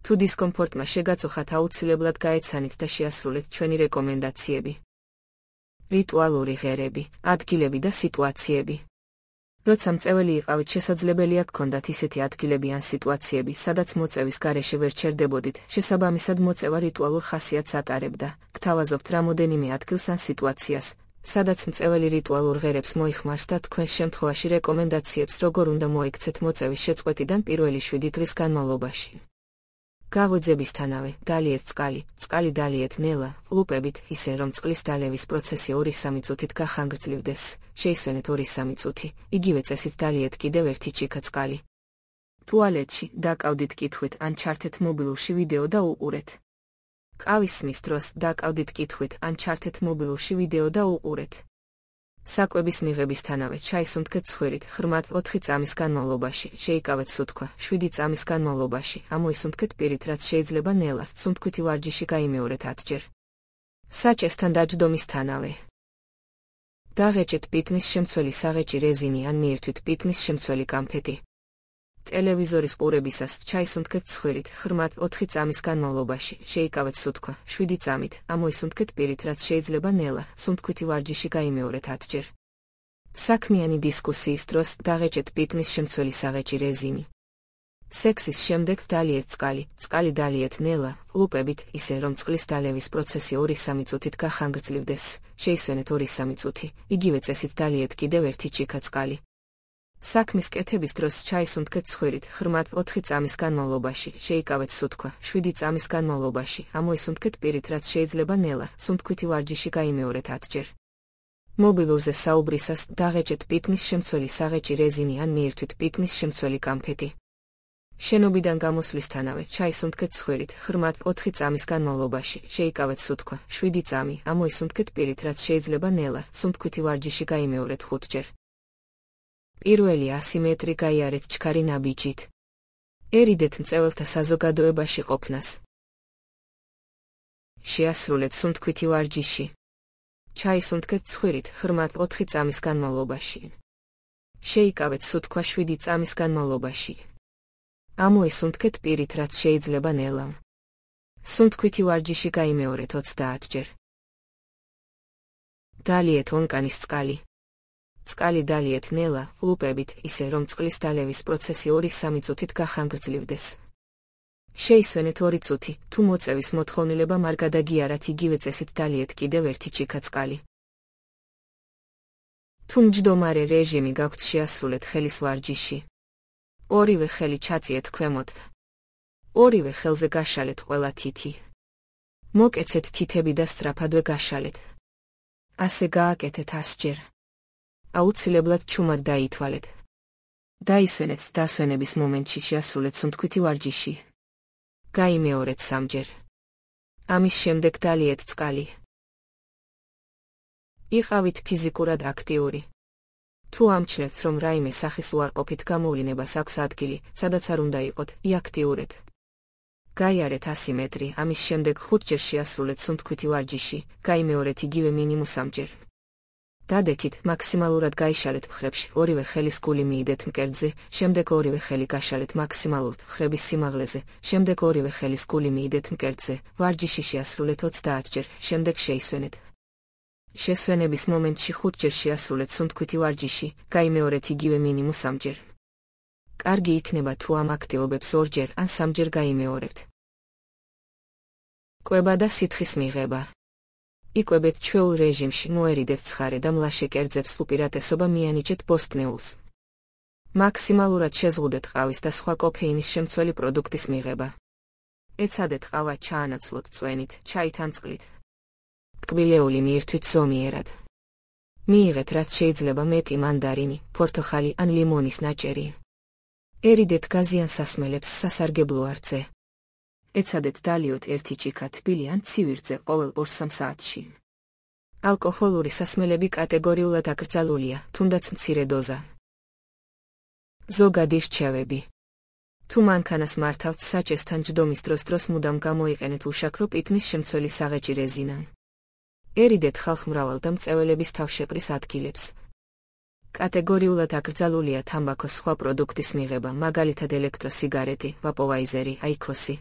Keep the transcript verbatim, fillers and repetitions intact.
თუ დისკომფორტმა შეგაწუხათ, აუცილებლად გაეცანით და შეასრულეთ ჩვენი რეკომენდაციები. რიტუალური ღერები, ადგილები და სიტუაციები. როცა მწეველი იყავით, შესაძლებელია გქონდათ ისეთი ადგილები ან სიტუაციები, სადაც მოწევის გარეშე ვერ ჩერდებოდით, შესაბამისად მოწევა რიტუალურ ხასიათს ატარებდა. გთავაზობთ რამოდენიმე ადგილს ან სიტუაციას, სადაც მწეველი რიტუალურ ღერებს მოიხმარს და თქვენს შემთხვევაში რეკომენდაციებს როგორ უნდა მოიქცეთ მოწევის შეწყვეტიდან პირველი შვიდი დღის განმავლობაში. გაღვიძებისთანავე, დალიეთ წყალი, წყალი დალიეთ ნელა, ყლუპებით, ისე რომ წყლის დალევის პროცესი ორი-სამი წუთით გახანგრძლივდეს, შეისვენეთ ორი-სამი წუთი, იგივე წესით დალიეთ კიდევ ერთი ჩიქა წყალი. ტუალეტში, დაკავდით კითხვით ან ჩართეთ მობილურში ვიდეო და უყურეთ. ყავის სმის დროს, დაკავდით კითხვით ან ჩართეთ მობილურში ვიდეო და უყურეთ. საკვების მიღებისთანავე, ჩაის უნთქეთ ცხვირით, ღრმად ოთხი წამის განმავლობაში, შეიკავეთ სუნთქვა, შვიდი წამის განმავლობაში, ამოისუნთქეთ პირით, რაც შეიძლება ნელას, სუნთქვითი ვარჯიში გაიმეორეთ ათჯერ. საჭესთან დაჯდომისთანავე. დაღეჭეთ პიტნის შემცველი საღეჭი რეზინი ან მიირთვით პიტნის შემცველი კამფეტი. ტელევიზორის ყურებისას, ჩაის უნთქეთ ცხვირით, ღრმად ოთხი წამის განმავლობაში, შეიკავეთ სუნთქვა, შვიდი წამით, ამოისუნთქეთ პირით, რაც შეიძლება ნელა, სუნთქვითი ვარჯიში გაიმეორეთ ათჯერ. საქმიანი დისკუსიის დროს, დაღეჭეთ პიტნის შემცველი საღეჭი რეზინი. სექსის შემდეგ დალიეთ წყალი, წყალი დალიეთ ნელა, ყლუპებით, ისე რომ წყლის დალევის პროცესი ორი-სამი წუთით გახანგრძლივდეს, შეისვენეთ ორი-სამი წუთი, იგივე წესით დალიეთ კიდევ ერთი ჩიქა წყალი. საქმის კეთების დროს ჩაის უნთქეთ ცხვირით, ღრმად ოთხი წამის განმავლობაში, შეიკავეთ სუნთქვა, შვიდი წამის განმავლობაში, ამოისუნთქეთ პირით, რაც შეიძლება ნელა, სუნთქვითი ვარჯიში გაიმეორეთ ათჯერ. მობილურზე საუბრისას, დაღეჭეთ პიტნის შემცველი საღეჭი რეზინი ან მიირთვით პიტნის შემცველი კამფეტი. შენობიდან გამოსვლისთანავე, ჩაის უნთქეთ ცხვირით, ღრმად ოთხი წამის განმავლობაში, შეიკავეთ სუნთქვა, შვიდი წამი, ამოისუნთქეთ პირით, რაც შეიძლება ნელა, სუნთქვითი ვარჯიში გაიმეორეთ ხუთჯერ. პირველი ასი მეტრი გაიარეთ ჩქარი ნაბიჯით. ერიდეთ მწეველთა საზოგადოებაში ყოფნას. შეასრულეთ სუნთქვითი ვარჯიში. ჩაისუნთქეთ ცხვირით, ღრმად ოთხი წამის განმავლობაში. შეიკავეთ სუნთქვა შვიდი წამის განმავლობაში. ამოისუნთქეთ პირით, რაც შეიძლება ნელამ. სუნთქვითი ვარჯიში გაიმეორეთ ოცდაათჯერ. დალიეთ ონკანის წყალი. წყალი დალიეთ ნელა, ყლუპებით, ისე რომ წყლის დალევის პროცესი ორი-სამი წუთით გახანგრძლივდეს. შეისვენეთ ორი წუთი, თუ მოწევის მოთხოვნილება არ გადაგიარათ, იგივე წესით დალიეთ კიდევ ერთი ჩიქა წყალი. თუ მჯდომარე რეჟიმი გაქვთ, შეასრულეთ ხელის ვარჯიში. ორივე ხელი ჩაწიეთ ქვემოთ. ორივე ხელზე გაშალეთ ყველა თითი. მოკეცეთ თითები და სწრაფადვე გაშალეთ. ასე გააკეთეთ ასჯერ. აუცილებლად ჩუმად დაითვალეთ. დაისვენეთ დასვენების მომენტში, შეასრულეთ სუნთქვითი ვარჯიში. გაიმეორეთ სამჯერ. ამის შემდეგ დალიეთ წყალი. იყავით ფიზიკურად აქტიური. თუ ამჩნევთ, რომ რაიმე სახის უარყოფით გამოვლინებას აქვს ადგილი, სადაც არ უნდა იყოთ, იაქტიურეთ. გაიარეთ ასი მეტრი, ამის შემდეგ ხუთჯერ შეასრულეთ სუნთქვითი ვარჯიში, გაიმეორეთ იგივე მინიმუმ სამჯერ. დადექით, მაქსიმალურად გაიშალეთ მხრებში, ორივე ხელის გული მიიდეთ მკერდზე, შემდეგ ორივე ხელი გაშალეთ მაქსიმალურად მხრების სიმაღლეზე, შემდეგ ორივე ხელის გული მიიდეთ მკერდზე, ვარჯიში შეასრულეთ ოცდაათჯერ, შემდეგ შეისვენეთ. შესვენების მომენტში ხუთჯერ შეასრულეთ სუნთქვითი ვარჯიში, გაიმეორეთ იგივე მინიმუმ სამჯერ. კარგი იქნება თუ ამ აქტივობებს ორჯერ ან სამჯერ გაიმეორებთ. კვება და სითხის მიღება. იკვებეთ ჩვეულ რეჟიმში, მოერიდეთ ცხარე და მლაშე კერძებს, უპირატესობა მიანიჭეთ ბოსტნეულს. მაქსიმალურად შეზღუდეთ ყავის და სხვა კოფეინის შემცველი პროდუქტის მიღება. ეცადეთ ყავა ჩაანაცვლოთ წვენით, ჩაით ან წყლით. ტკბილეული მიირთვით ზომიერად. მიიღეთ რაც შეიძლება მეტი მანდარინი, პორტოხალი ან ლიმონის ნაჭერი. ერიდეთ გაზიან სასმელებს სასარგებლო არწე. ეცადეთ დალიოთ ერთი ჩიქა თბილი ან ცივი რწე ყოველ ორ-სამ საათში. ალკოჰოლური სასმელები კატეგორიულად აკრძალულია, თუნდაც მცირე დოზა. ზოგადი რჩევები. თუ მანქანას მართავთ, საჭესთან ჯდომის დროს დროს მუდამ გამოიყენეთ უშაქრო პიტნის შემცველი საღეჭი რეზინა. ერიდეთ ხალხმრავალ და მწეველების თავშეყრის ადგილებს. კატეგორიულად აკრძალულია თამბაქოს სხვა პროდუქტის მიღება, მაგალითად ელექტროსიგარეტი, ვაპოვაიზერი, აიქოსი.